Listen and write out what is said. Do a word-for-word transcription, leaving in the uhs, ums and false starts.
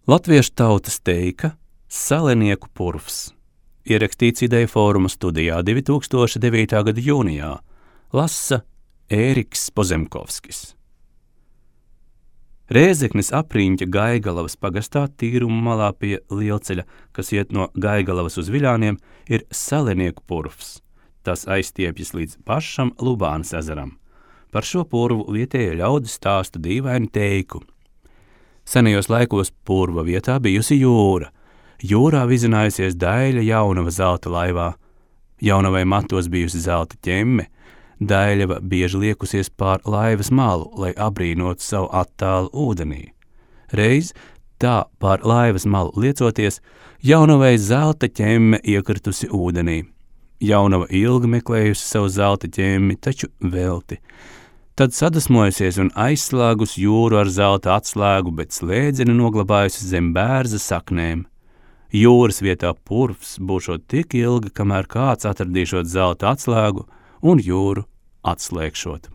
Latviešu tautas teika Salenieku purvs, ierakstīts Ideja fóruma studijā divi tūkstoši devītā gada jūnijā, lasa Ēriks Pozemkovskis. Rēzeknes apriņķa Gaigalavas pagastā tīruma malā pie lielceļa, kas iet no Gaigalavas uz Viļāniem, ir Salenieku purvs. Tas aizstiepjas līdz pašam Lubānas ezeram. Par šo purvu vietējie ļaudis stāsta dīvainu teiku. Senajos laikos purva vietā bijusi jūra. Jūrā vizinājusies Daļa Jaunava zelta laivā. Jaunavai matos bijusi zelta ķemme. Daļava bieži liekusies pār laivas malu, lai abrīnotu savu attālu ūdenī. Reiz tā pār laivas malu liecoties, Jaunavai zelta ķemme iekritusi ūdenī. Jaunava ilgi meklējusi savu zelta ķemmi, taču velti. Tad sadusmojusies un aizslēgus jūru ar zelta atslēgu, bet slēdzeni noglabājusi zem bērza saknēm. Jūras vietā purvs būšot tik ilgi, kamēr kāds atradīšot zelta atslēgu un jūru atslēgšot.